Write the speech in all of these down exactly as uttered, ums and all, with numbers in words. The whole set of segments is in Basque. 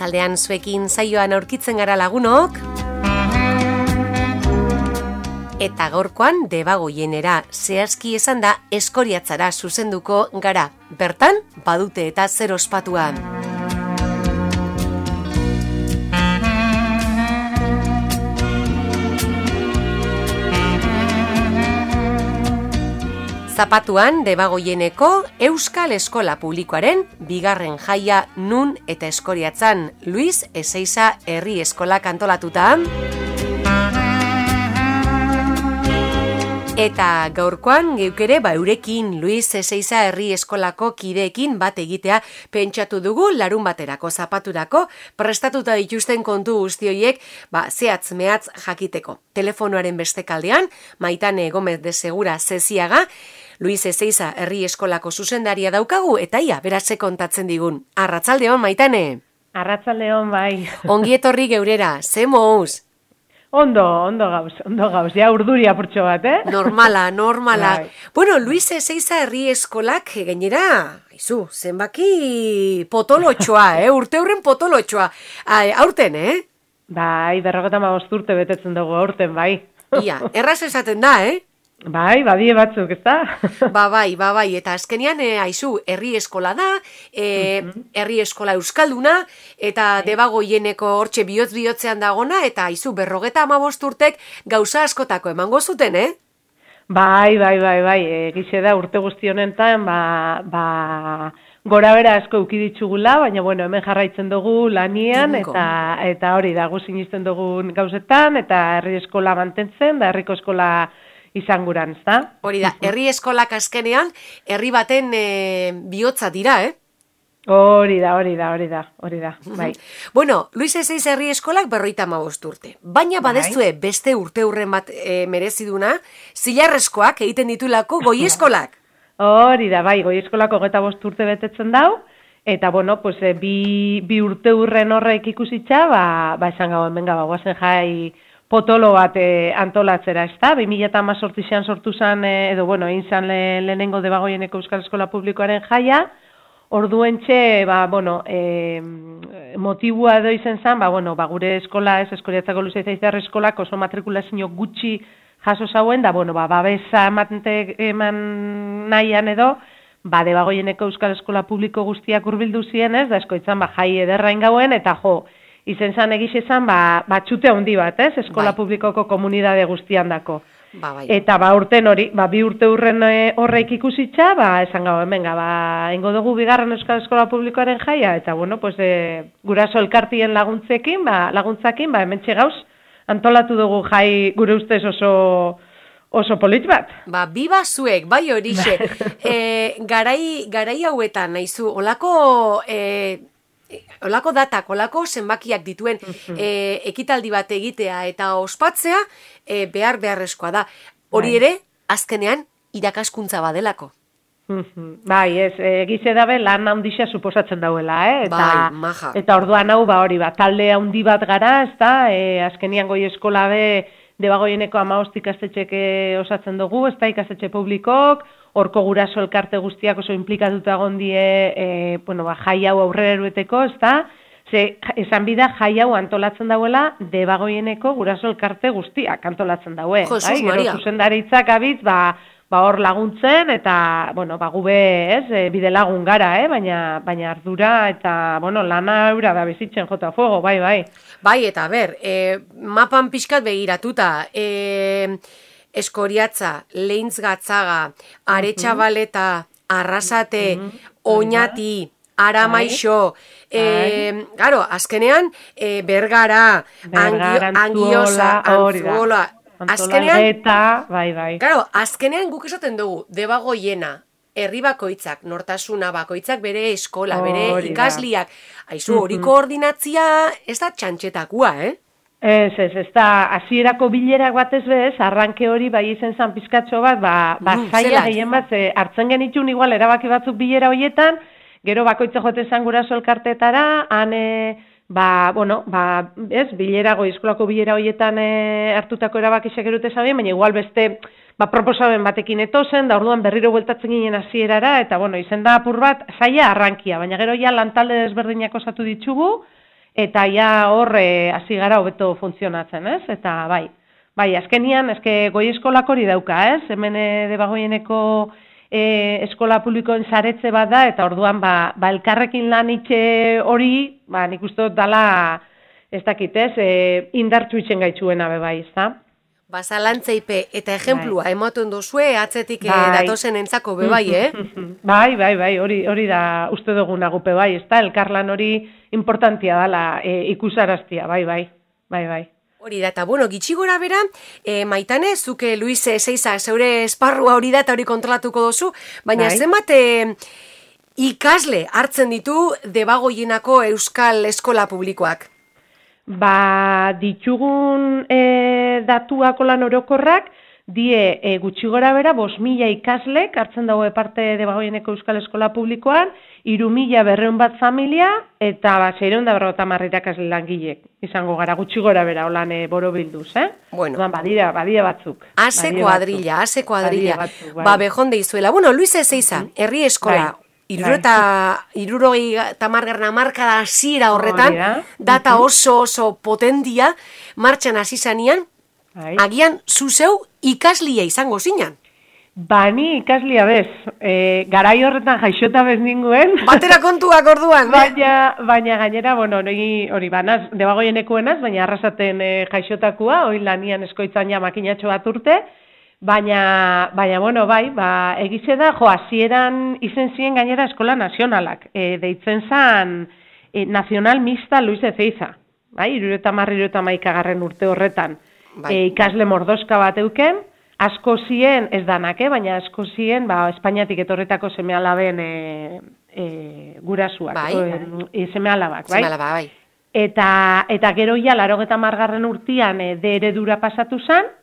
Arratsaldean zuekin saioan aurkitzen gara lagunok. Eta gaurkoan Debagoienera zehazki esan da Eskoriatzara zuzenduko gara. Bertan, badute eta zer ospatua. Zapatuan Debagoieneko Euskal Eskola Publikoaren bigarren jaia nun eta Eskoriatzan Luis Ezeiza Herri Eskolak antolatuta. Eta gaurkoan geukere ba eurekin Luis Ezeiza Herri Eskolako kideekin bat egitea pentsatu dugu larun baterako zapaturako prestatuta dituzten kontu guzti horiek ba zehatz mehatz jakiteko. Telefonoaren bestekaldean Maitane Gomez de Segura Zeziaga Luis Ezeiza Herri Eskolako zuzendaria daukagu eta ia beratze kontatzen digun. Arratsaldeon Maitane. Arratsaldeon bai. Ongi etorri geurera. Ze mouz? Ondo, ondo gauz, ondo gauz. Ja urduri apurtxo bat, eh? Normala, normala. Bai. Bueno, Luis Ezeiza Herri Eskolak gainera, aizu, zenbaki potolotxoa, eh? Urte hurren potolotxoa. Ai, aurten, eh? Bai, berrogeta hamabost urte betetzen dugu aurten, bai. Ia, erraz esaten da, eh? Bai, badie batzuk, ez da? Ba bai, ba bai, eta azkenean, e, aizu, herri eskola da, e, herri eskola euskalduna, eta Debagoieneko hortxe bihotz-bihotzean dagona, eta aizu, berrogeta hamabost urtek gauza askotako emango zuten, eh? Bai, bai, bai, bai, egize da urte guzti honetan, ba, ba, gora bera asko ukiditxugula, baina, bueno, hemen jarraitzen dugu lanian, eta, eta hori da, gu sinisten dugun gauzetan, eta herri eskola mantentzen, da herriko eskola izanguran, ezta? Hori da, herri eskolak azkenean, herri baten e, bihotza dira, eh? Hori da, hori da, hori da, hori da, bai. Bueno, Luis Ezeiza Herri Eskolak berroita hamabost urte. Baina badezue beste urte hurren bat e, mereziduna, zilarrezkoak egiten ditulako goi eskolak. Hori da, bai, goi eskolako hogeita bost urte betetzen dau, eta, bueno, pues, e, bi, bi urte hurren horrek ikusitza, ba, ba esan gau, hemen gaba, guazen jai, potolo bat e, antolatzera, ez da? bi mila hemezortzian sortu zen, e, edo, bueno, egin zen le, lehenengo Debagoieneko Euskal Eskola Publikoaren jaia, orduentxe, ba, bueno, e, motibua edo izen zen, ba, bueno, ba, gure eskola, ez, Eskoriatzako Luis Ezeiza Herri Eskolak oso matrikulazio gutxi jaso zauen, da, bueno, ba, babesa eman nahian edo, ba, Debagoieneko Euskal Eskola Publiko guztiak hurbildu zienez, da, eskoitzan, ba, jai ederrain gauen, eta jo, izen zan egiz ezan, ba, ba txute handi bat, ez? Eskola bai. Publikoko komunidade guztian dako. Ba, bai. Eta ba urten hori, ba, bi urte urren e, horreik ikusitza, ba, esan gau, hemen, ba, ingo dugu bigarren Euskal Eskola Publikoaren jaia, eta, bueno, pues, e, guraso elkartien laguntzekin, ba, laguntzakin, ba, hemen txegauz, antolatu dugu jai gure ustez oso... oso polit bat. Ba, biba zuek, bai horixe. e, garai, garai hauetan, nahizu, olako... E, Olako datak, olako zenbakiak dituen e, ekitaldi bat egitea eta ospatzea e, behar beharrezkoa da. Hori ere, azkenean, irakaskuntza badelako. Bai, ez, egize dabe lan handixa suposatzen dauela, eh? Eta, bai, maja. Eta orduan hau, ba, hori, ba, talde handi bat gara, ez da, e, azkenian goi eskola be, Debagoieneko hamabost ikastetxek osatzen dugu, ez da, ikastetxe publikok, horko guraso elkarte guztiak oso implikatuta gondie, e, bueno, ba, jai hau aurrera erueteko, ez da, ze, esan bida, jai hau antolatzen dauela, Debagoieneko guraso elkarte guztiak antolatzen daue. Jesus bai? Maria. Gero zuzendaritzak abitz, ba, ba hor laguntzen, eta, bueno, ba, gube, ez, e, bide lagun gara, eh? baina, baina ardura, eta, bueno, lana eura da bizitzen jota fuego, bai, bai. Bai, eta ber, e, mapan pixkat begiratuta, e, Eskoriatza, Leintz Gatzaga, Aretxabaleta, Arrasate, uh -huh. Oñati, Aramaixo, e, garo, azkenean, e, Bergara, Bergara, Angiosa, Antzuola, azkenean, eta, bai, bai. Garo, azkenean guk esaten dugu, Debagoiena, herri bakoitzak, nortasuna bakoitzak bere eskola, bere Hori ikasliak, aizu, hori koordinatzia ez da txantxetakua, eh? Ez, ez, ez da, hasierako bilerak batez bez, arranke hori bai izen zan pizkatxo bat, ba, ba Mm, zaila zelan. gehien bat, ze, hartzen genitun igual erabaki batzuk bilera horietan, gero bakoitza jote zan guraso elkartetara, han, e, ba, bueno, ba, ez, bilera, goi eskolako bilera horietan e, hartutako erabakisek erute zabien, baina igual beste, ba, proposamen batekin etozen, da orduan berriro bueltatzen ginen hasierara, eta, bueno, izen da apur bat, zaila arrankia, baina gero ja lantalde desberdinak osatu ditugu, eta ja hor hasi gara hobeto funtzionatzen, ez? Eta bai, bai, azkenian, eske goi eskolak hori dauka, ez? Hemen Debagoieneko e, eskola publikoen saretze bat da, eta orduan, ba, ba elkarrekin lan itxe hori, ba, nik uste dut dala, ez dakit, ez? E, indartsu itxen gaitzuena be bai, ez da? Ba, zalantzeipe eta ejemplua bai. Ematen duzue, atzetik bai. Datozen entzako be bai, eh? Bai, bai, bai, hori, hori da uste duguna gupe bai, ez da? Elkarlan hori importantia dala e, ikusaraztia, bai, bai, bai, bai. Hori da, eta bueno, gitxi gora bera, e, Maitane, zuke Luis Ezeiza, zeure esparrua hori da eta hori kontrolatuko dozu, baina bai. Zenbat e, ikasle hartzen ditu Debagoienako Euskal Eskola Publikoak? Ba, ditugun e, datuak olan orokorrak, die e, gutxi gora bera, bos mila ikaslek hartzen dago parte Debagoieneko Euskal Eskola Publikoan, iru mila berreun bat familia, eta ba, seireun da berrota marrirak asle langilek. Izango gara, gutxi gora bera, holan e, boro bilduz, eh? Bueno. Odan, badira, badira batzuk. Ase kuadrilla, ase kuadrilla. Bai. Ba, bejonde izuela. Bueno, Luis Ezeiza, herri eskola, bai. Iruro eta irurogei tamargarren amarkada hasiera horretan, data oso oso potentia, martxan hasi zanean, agian zuzeu ikaslia izango zinan. Bani ikaslia bez, e, garai horretan jaixota bez ninguen. Batera kontuak orduan, baina, baina gainera, bueno, hori, hori banaz, Debagoienekoenaz, baina arrasaten e, jaixotakua, hori lanian eskoitzan ja makinatxo bat urte, Baina, baina, bueno, bai, ba, egize da, jo, hasieran izen ziren gainera eskola nazionalak. E, deitzen zan, e, nazional mixta Luis Ezeiza. Bai, irureta marri, irureta maikagarren urte horretan. Bai. E, ikasle mordoska bat euken, asko zien, ez danak, eh, baina asko zien, ba, Espainiatik etorretako seme alaben e, e, gurasuak. Bai, o, e, seme alabak, bai. Seme alaba, bai. Eta, eta gero ja, larogeta margarren urtian e, de eredura pasatu zan,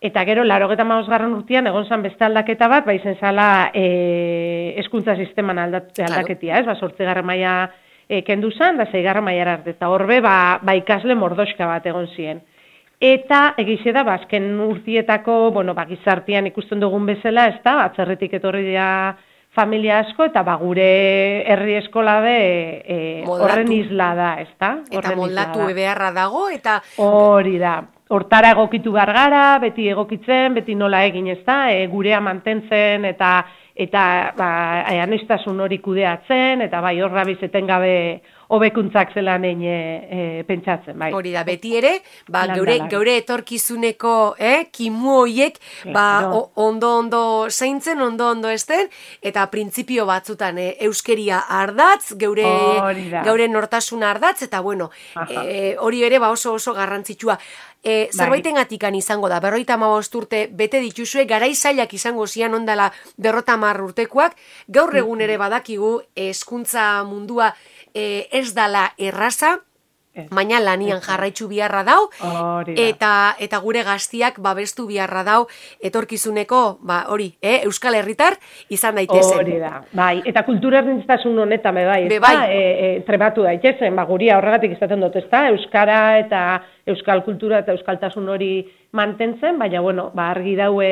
eta gero, larogeta mausgarren urtean, egon zan beste aldaketa bat, ba izen zala e, eskuntza sisteman aldat, aldaketia, ez? Ba, sortzigarren maila e, kendu zan, da zeigarren mailara arte. Eta horbe, ba, ba ikasle mordoska bat egon ziren. Eta, egize da, ba, azken urtietako, bueno, ba, gizartian ikusten dugun bezala, ez da, atzerritik etorri dira familia asko, eta ba, gure herri eskola be e, horren isla da, ez da? Eta moldatu beharra dago, eta... Hori da. Hortara egokitu behar gara, beti egokitzen, beti nola egin, ez da, e, gurea mantentzen, eta eta ba, aniztasun hori kudeatzen, eta bai, horra bizeten gabe hobekuntzak zelan egin e, pentsatzen, bai. Hori da, beti ere, ba, geure, geure etorkizuneko eh, kimu hoiek, ba, ondo-ondo zeintzen, ondo-ondo esten, eta printzipio batzutan eh, euskeria ardatz, geure, geure nortasun ardatz, eta bueno, eh, hori ere ba, oso oso garrantzitsua. E, zerbaiten atikan izango da, berroita hamabost urte bete dituzue, garai zailak izango zian ondala berrota hamar urtekoak, gaur egun ere badakigu hezkuntza mundua e, ez dala erraza, baina lanian jarraitzu biharra dau, eta eta gure gaztiak babestu biharra dau etorkizuneko, ba, hori, eh, Euskal Herritar izan daitezen. Hori da, bai, eta kultura erdintasun honetan be bai, be bai. E, e, trebatu daitezen, ba, guria horregatik izaten dut, ezta, Euskara eta Euskal kultura eta Euskaltasun hori mantentzen, baina, bueno, ba, argi daue,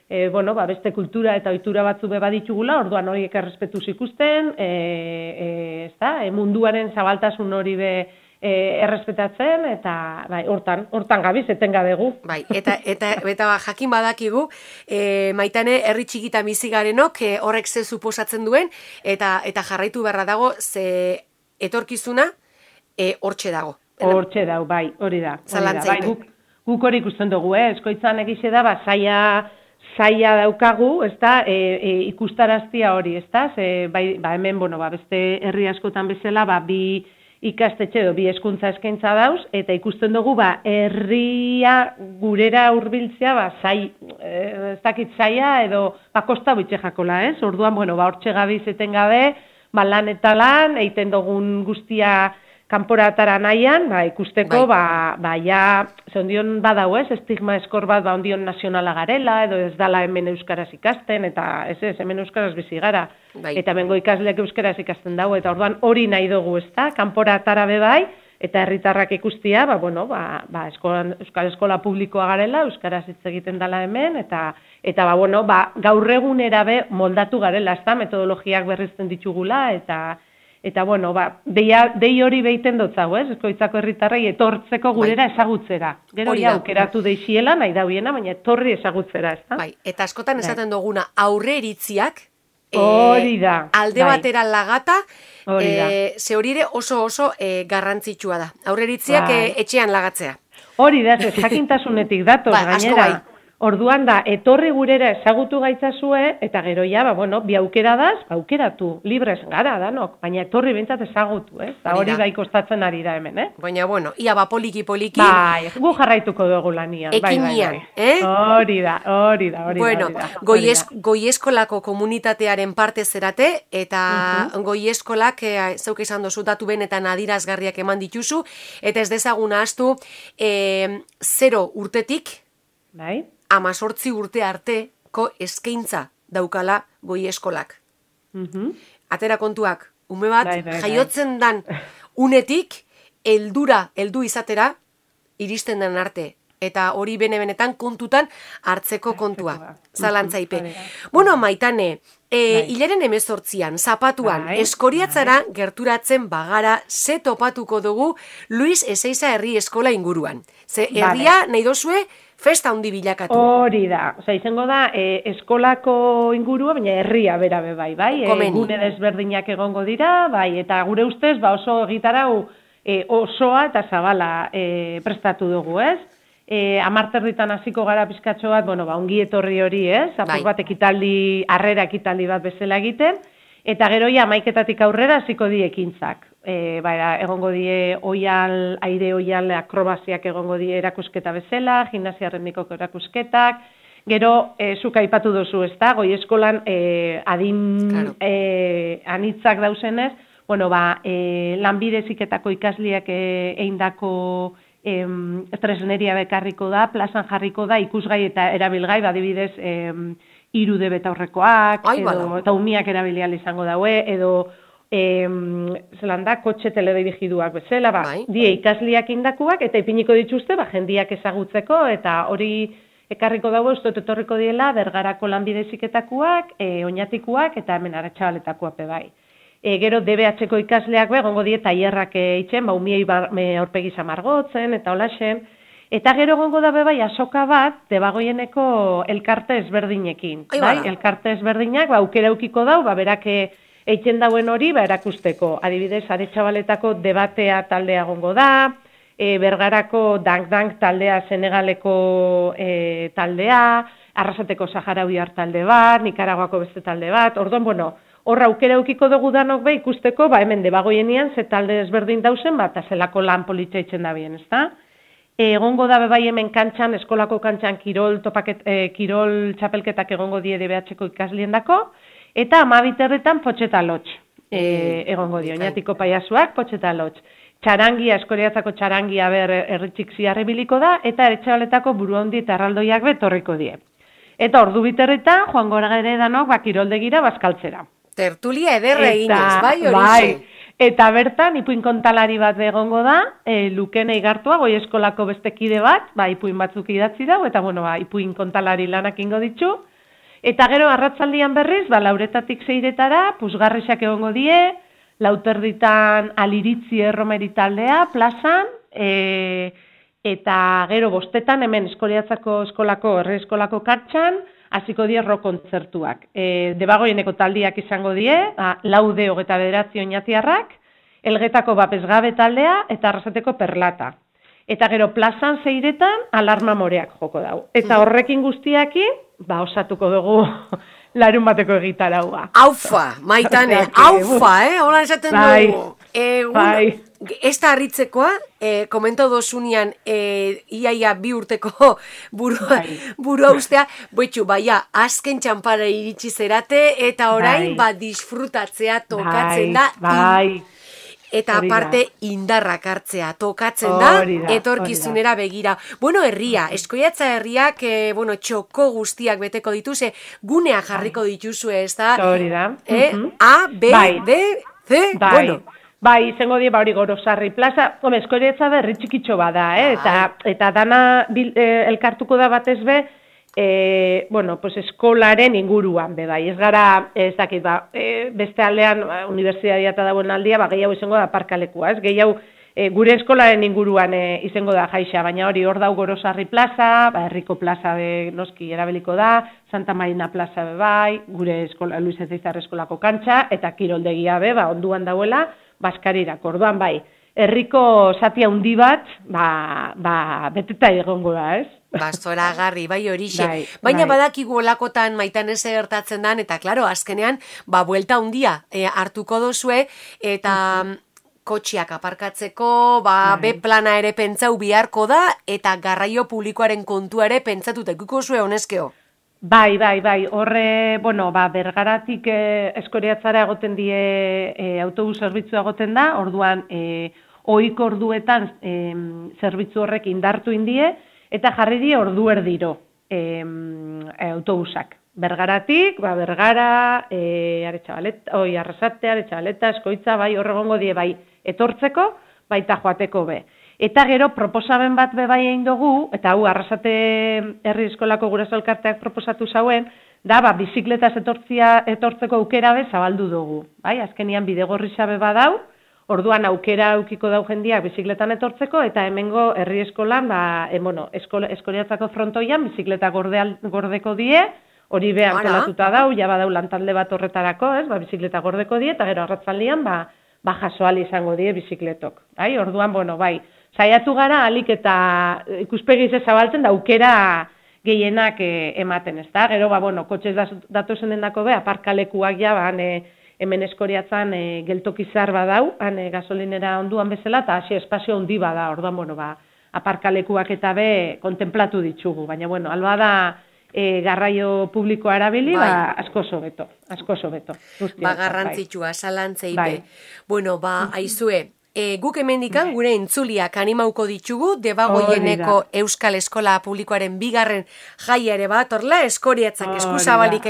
e, bueno, ba, beste kultura eta ohitura batzu be baditugula, orduan horiek errespetuz ikusten, e, e, ezta, e, munduaren zabaltasun hori be E, errespetatzen, eta bai, hortan, hortan gabiz, etengabe gu. Bai, eta, eta, eta jakin badakigu, e, Maitane, herri txikitan bizi garenok, e, horrek ze suposatzen duen, eta eta jarraitu beharra dago, ze etorkizuna e, hortxe dago. Hortxe dago, bai, hori da. Bai, guk, guk hori ikusten dugu, eh? Eskoitzan egize da, ba, zaila, zaila daukagu, ez da, e, e, ikustaraztia hori, ez da, ze, bai, ba, hemen, bueno, ba, beste herri askotan bezala, ba, bi ikastetxe edo bi hezkuntza eskaintza dauz, eta ikusten dugu, ba, herria gurera hurbiltzea, ba, zai, ez dakit zaila, edo, ba, kosta bitxe jakola, ez? Orduan, bueno, ba, hortxe gabiz etengabe, ba, lan eta lan, eiten dugun guztia kanporatara nahian, ba, ikusteko, bai, ba, ba, ja, ze ondion badau, ez, estigma eskor bat, ba, ondion nazionala garela, edo ez dala hemen euskaraz ikasten, eta ez ez, hemen euskaraz bizi gara, bai, eta bengo ikasleak euskaraz ikasten dago, eta orduan hori nahi dugu, ez da, kanporatara be bai, eta herritarrak ikustia, ba, bueno, ba, ba, eskola, euskal eskola publikoa garela, euskaraz hitz egiten dela hemen, eta, eta ba, bueno, ba, gaur egunera be moldatu garela, ez da, metodologiak berrizten ditugula, eta Eta, bueno, ba, deia, dei hori behiten dutzago, ez? Eskoitzako herritarrei etortzeko gurera bai. Ezagutzera. Gero ja, aukeratu deixiela, nahi dauiena, baina etorri ezagutzera, ez da? Bai, eta askotan esaten duguna, aurre iritziak, hori da. E, alde bai. Batera lagata, e, ze hori ere oso oso e, garrantzitsua da. Aurre iritziak bai. e, etxean lagatzea. Hori da, ez jakintasunetik datoz, ba, gainera. Bai. Orduan da, etorri gurera ezagutu gaitzazue, eta gero ja, ba, bueno, bi aukera daz, ba, aukeratu, libres gara danok, baina etorri bintzat ezagutu, eh? Eta hori bai kostatzen ari da hemen, eh? Baina, bueno, ia ba poliki-poliki. Bai, gu jarraituko dugu lanian. Ekinian, bai, bai, bai. eh? Hori da, hori da, hori bueno, da. Bueno, goieskolako komunitatearen parte zerate, eta uh-huh. goieskolak, e, zeuk izan dozu datu benetan adirazgarriak eman dituzu, eta ez dezaguna astu, e, zero urtetik, bai? Amazortzi urte arteko eskaintza daukala goieskolak. Uh-huh. Atera kontuak, ume bat bai, bai, jaiotzen dan unetik heldura heldu izatera iristen den arte. Eta hori bene-benetan kontutan hartzeko kontua. Zalantzaipe. Bueno, Maitane, e, bai. hilaren emezortzian, zapatuan, bai. Eskoriatzara bai. Gerturatzen bagara, ze topatuko dugu Luis Ezeiza herri eskola inguruan. Ze herria nahi dozue, festa handi bilakatu. Hori da. Osa, izango da, e, eskolako ingurua, baina herria bera be bai, bai? E, gune desberdinak egongo dira, bai, eta gure ustez, ba, oso egitarau e, osoa eta zabala e, prestatu dugu, ez? E, amarterritan hasiko gara pizkatxo bat, bueno, ba, ongi etorri hori, ez? Apur bat ekitaldi, harrera ekitaldi bat bezala egiten, eta gero ja amaiketatik aurrera hasiko die ekintzak. E, ba, egongo die oial, aire oial akrobaziak egongo die erakusketa bezala, gimnasia ritmikoko erakusketak, gero, e, zuk aipatu duzu, ez da, goi eskolan e, adin claro. e, anitzak dauzenez, bueno, ba, e, lanbide heziketako ikasliak e, eindako Em, tresneria bekarriko da, plazan jarriko da, ikusgai eta erabilgai, badibidez, em, irude betaurrekoak, Ai, edo, eta umiak erabilial izango daue, edo, em, zelan da, kotxe teledirigiduak bezala, ba, bai. Die ikasliak indakuak, eta ipiniko dituzte, ba, jendiak ezagutzeko, eta hori ekarriko dago, ez dut etorriko diela, Bergarako lanbide heziketakoak, e, oinatikuak, eta hemen Aretxabaletakoak bai. E, gero D B H-ko ikasleak begongo die tailerrak eitzen, ba umiei aurpegi samargotzen eta holaxen. Eta gero egongo da bai azoka bat Debagoieneko elkarte ezberdinekin, Ai, bai? Elkarte ezberdinak ba aukera ukiko dau, ba berak eitzen dauen hori ba erakusteko. Adibidez, Aretxabaletako debatea taldea egongo da, e, Bergarako dank-dank taldea Senegaleko e, taldea, Arrasateko Saharauiar talde bat, Nikaraguako beste talde bat. Orduan, bueno, hor aukera ukiko dugu danok be ikusteko, ba hemen Debagoienian ze talde ezberdin dauzen, ba eta zelako lan politxa itzen da bien, ezta? Egongo da bai hemen kantxan, eskolako kantxan kirol topaket, eh, kirol txapelketak egongo die D B H-ko ikasliendako, eta amabiterretan potxeta lotx e, egongo dio, oinatiko paiasuak potxeta lotx. Txarangia, Eskoriatzako txarangia ber erritxik ziarrebiliko da, eta Aretxabaletako buruhandi eta erraldoiak betorriko die. Eta ordu biterretan, joan gora gere danok, ba, kiroldegira bazkaltzera. Tertulia ederre eginez, bai hori bai. Eta bertan, ipuin kontalari bat egongo da, e, Lukene Igartua, goi eskolako beste kide bat, ba, ipuin batzuk idatzi dago, eta bueno, ba, ipuin kontalari lanak ingo ditzu. Eta gero, arratzaldian berriz, ba, lauretatik zeiretara, pusgarrisak egongo die, lauterditan aliritzi erromeri taldea, plazan, e, eta gero bostetan, hemen Eskoriatzako eskolako, herri eskolako kartxan, hasiko die rock kontzertuak. E, Debagoieneko taldiak izango die, ba, laude hogeta bederatzi oinatiarrak, Elgetako bapesgabe taldea, eta Arrasateko perlata. Eta gero plazan zeiretan, alarma moreak joko dau. Eta horrekin guztiakin, ba, osatuko dugu larun bateko egitaraua. Aufa, Maitane, aufa, eh? Hola esaten bai, dugu. Egun, bai. Ez da harritzekoa, eh, komento dozunian eh, iaia bi urteko burua, bai. burua ustea, boitxu, baia, azken txampara iritsi zerate, eta orain, bai. ba, disfrutatzea tokatzen bai, da. Bai, Eta aparte indarrak hartzea tokatzen da, da etorkizunera begira. Bueno, herria, Eskoriatza herriak, eh, bueno, txoko guztiak beteko dituze, gunea jarriko dituzue, ez da? Hori da. Eh? Uh-huh. A, B, bai. D, C, bai. bueno. Bai, izango die, ba hori Gorosarri plaza, home, Eskoriatza berri txikitxo bada, eh? Eta, eta dana bil, eh, elkartuko da batez be, e, bueno, pues eskolaren inguruan, be bai, ez gara, ez dakit, ba, e, beste aldean, ba, unibertsitatea eta dagoen aldia, ba, gehiago izango da aparkalekua, ez, gehiago, e, gure eskolaren inguruan e, izango da jaixa, baina hori hor dau Gorosarri plaza, ba, Herriko plaza be, noski erabiliko da, Santa Marina plaza be bai, gure eskola, Luis Ezeizar eskolako kantxa, eta kiroldegia be, ba, onduan dauela, Baskarirak, orduan bai, herriko zati handi bat, ba, ba, beteta egongo da, ez? Ba, zoragarri, bai horixe. Bai, Baina bai. badakigu olakotan maitan ez gertatzen dan, eta klaro, azkenean, ba, buelta handia e, hartuko dozue, eta kotxiak aparkatzeko, ba, Bai. be plana ere pentsau biharko da, eta garraio publikoaren kontua ere pentsatuta ikuko zue honezkeo. Bai, bai, bai, horre, bueno, ba, Bergaratik eh, Eskoriatzara egoten die eh, autobus zerbitzua egoten da, orduan eh, ohiko orduetan eh, zerbitzu horrek indartu indie, eta jarri die ordu erdiro eh, autobusak. Bergaratik, ba, Bergara, eh, Aretxabaleta, oi, Arrasate, Aretxabaleta, Eskoitza, bai, horregongo die, bai, etortzeko, baita joateko be. Eta gero proposamen bat be bai egin dugu, eta hau Arrasate herri eskolako guraso elkarteak proposatu zauen, da ba bizikletaz etortzia etortzeko aukera be zabaldu dugu, bai? Azkenian bidegorrisa be badau, orduan aukera aukiko dau jendiak bizikletan etortzeko eta hemengo herri eskolan ba e, bueno, eskola Eskoriatzako frontoian bizikleta gordeal, gordeko die, hori be antolatuta dau, ja badau lantalde bat horretarako, ez? Ba bizikleta gordeko die eta gero arratzaldian ba ba jasoal izango die bizikletok. Bai? Orduan, bueno, bai, saiatu gara alik eta ikuspegiz zabaltzen da aukera gehienak e, ematen, ez da? Gero, ba, bueno, kotxez datozen dendako be, aparkalekuak ja, ba, ne, hemen Eskoriatzan e, geltokizar badau, han e, gasolinera onduan bezala, eta hasi espazio handi bada, orduan, bueno, ba, aparkalekuak eta be kontemplatu ditugu, baina, bueno, alba da e, garraio publikoa erabili, bai. ba, asko sobeto, asko sobeto. Ba, garrantzitsua, salantzei bai. be. Bueno, ba, aizue, E, guk hemendikan gure entzuliak animauko ditugu, Debagoieneko Euskal Eskola Publikoaren bigarren jaia ere bat, orla, Eskoriatzak eskuzabalik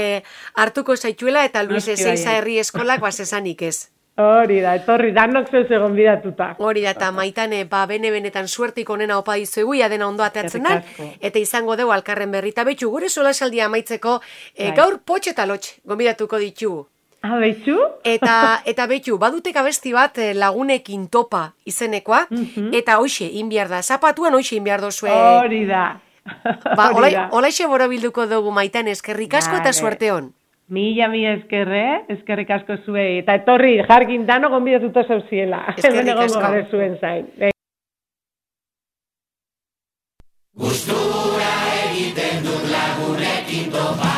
hartuko zaituela, eta Luis Ezeiza herri eskolak basesanik ez. Hori da, etorri, danok zeus egon bidatuta. Hori da, eta maitane, ba, bene-benetan suertik onena opa dizuegu, ja dena ondo ateatzen da, eta izango dugu alkarren berrita betxu, gure solasaldia amaitzeko, e, gaur potxe eta lotxe, gombidatuko ditugu. Ah, betxu? Eta, eta betxu, badutek abesti bat lagunekin topa izenekoa, mm-hmm. eta hoxe, inbiar da, zapatuan hoxe inbiar dozue. Hori da. Ba, olaixe borobilduko dugu maitan eskerrik asko eta suerte hon. Mila, mila eskerre, eskerrik asko zuei. Eta etorri, jargin dano gonbidatuta zauziela. Eskerrik asko. Gare zuen zain. Gustura egiten dut lagunekin topa.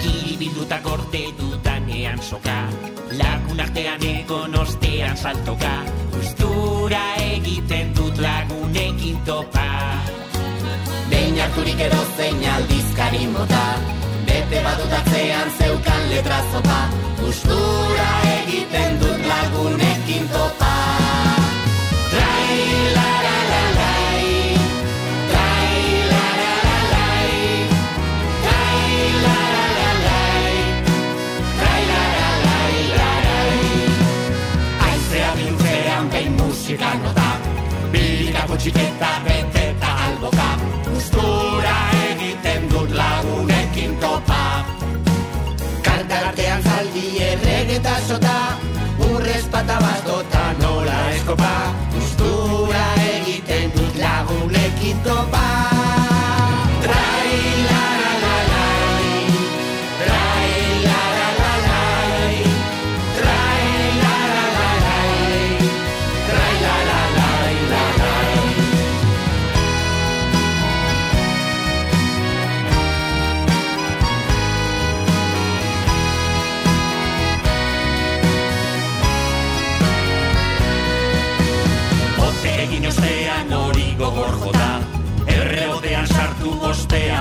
Kiribilduta gorte dudanean soka, lagun artean egon ostean saltoka, gustura egiten dut lagunekin topa. Behin harturik edo zein aldizkari mota, bete badutatzean zeukan letra zopa, gustura egiten dut lagunekin topa. Trai la la la lai, trai la la la lai, trai la la la lai, trai la la lai la lai. Aizea biltzean behin musika nota, birikako txiketa beteta alboka, gustura egiten dut lagunekin topa. Kartartean zaldi erregeta sota, urrez pata bat dota nola eskopa, gustura egiten dut lagunekin topa. Trai la la la lai, trai la la la lai, trai la la la lai, trai la la lai la lai. Egin ostean hori gogor jota, errebotean sartu ostean